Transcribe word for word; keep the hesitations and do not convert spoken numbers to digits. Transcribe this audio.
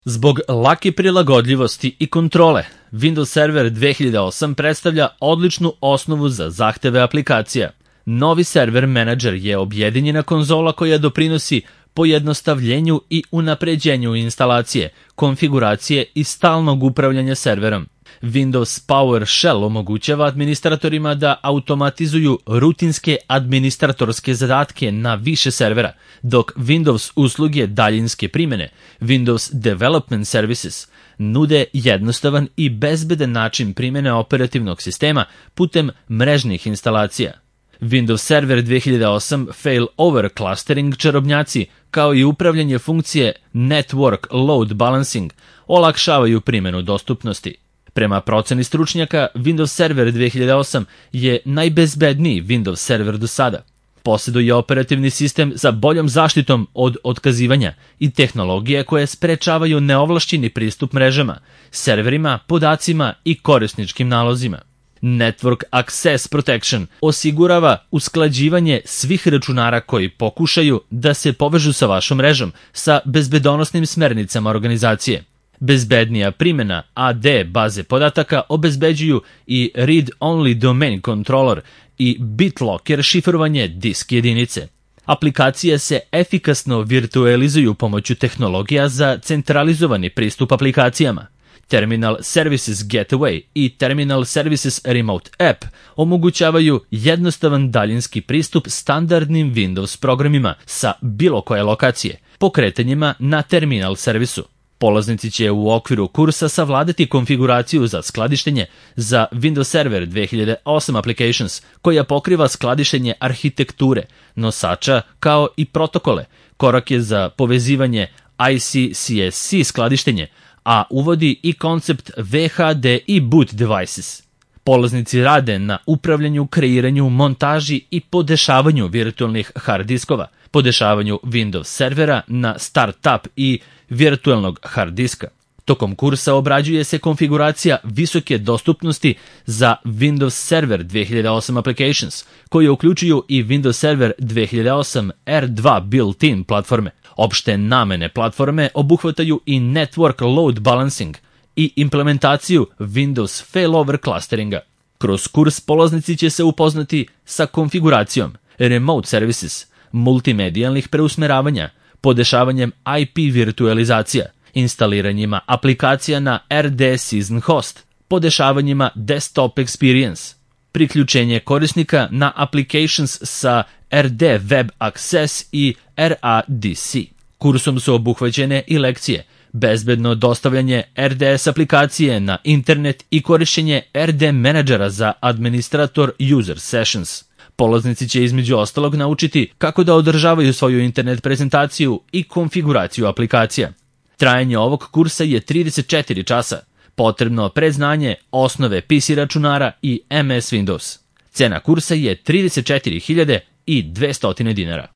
Zbog lake prilagodljivosti i kontrole, Windows Server dve hiljade osam predstavlja odličnu osnovu za zahteve aplikacija. Novi Server Manager je objedinjena konzola koja doprinosi pojednostavljenju i unapređenju instalacije, konfiguracije i stalnog upravljanja serverom. Windows PowerShell omogućava administratorima da automatizuju rutinske administratorske zadatke na više servera, dok Windows usluge daljinske primjene, Windows Development Services, nude jednostavan i bezbedan način primjene operativnog sistema putem mrežnih instalacija. Windows Server dve hiljade osam Failover Clustering čarobnjaci, kao i upravljanje funkcije Network Load Balancing, olakšavaju primjenu dostupnosti. Prema proceni stručnjaka, Windows Server dve hiljade osam je najbezbedniji Windows Server do sada. Posjeduje operativni sistem sa boljom zaštitom od otkazivanja i tehnologije koje sprečavaju neovlašćeni pristup mrežama, serverima, podacima i korisničkim nalozima. Network Access Protection osigurava usklađivanje svih računara koji pokušaju da se povežu sa vašom mrežom sa bezbedonosnim smernicama organizacije. Bezbednija primjena A D baze podataka obezbeđuju i Read-Only Domain Controller i BitLocker šifrovanje disk jedinice. Aplikacije se efikasno virtualizuju pomoću tehnologija za centralizovani pristup aplikacijama. Terminal Services Gateway i Terminal Services Remote App omogućavaju jednostavan daljinski pristup standardnim Windows programima sa bilo koje lokacije, pokretanjima na terminal servisu. Polaznici će u okviru kursa savladati konfiguraciju za skladištenje za Windows Server dve hiljade osam Applications, koja pokriva skladištenje arhitekture, nosača kao i protokole, korake za povezivanje I C C S C skladištenje, a uvodi i koncept V H D i Boot Devices. Polaznici rade na upravljanju, kreiranju, montaži i podešavanju virtualnih hard diskova, podešavanju Windows servera na startup i virtualnog hard diska. Tokom kursa obrađuje se konfiguracija visoke dostupnosti za Windows Server dve hiljade osam Applications, koje uključuju i Windows Server dve hiljade osam R dva built-in platforme. Opšte namene platforme obuhvataju i Network Load Balancing i implementaciju Windows Failover Clusteringa. Kroz kurs polaznici će se upoznati sa konfiguracijom Remote Services, multimedijalnih preusmeravanja, podešavanjem I P virtualizacija, instaliranjima aplikacija na R D Season Host, podešavanjima Desktop Experience, priključenje korisnika na Applications sa R D Web Access i R A D C. Kursom su obuhvaćene i lekcije, bezbedno dostavljanje R D S aplikacije na internet i korišćenje R D menadžera za administrator user sessions. Polaznici će između ostalog naučiti kako da održavaju svoju internet prezentaciju i konfiguraciju aplikacija. Trajanje ovog kursa je trideset četiri časa, potrebno predznanje osnove P C računara i M S Windows. Cena kursa je trideset četiri hiljade dvesta dinara.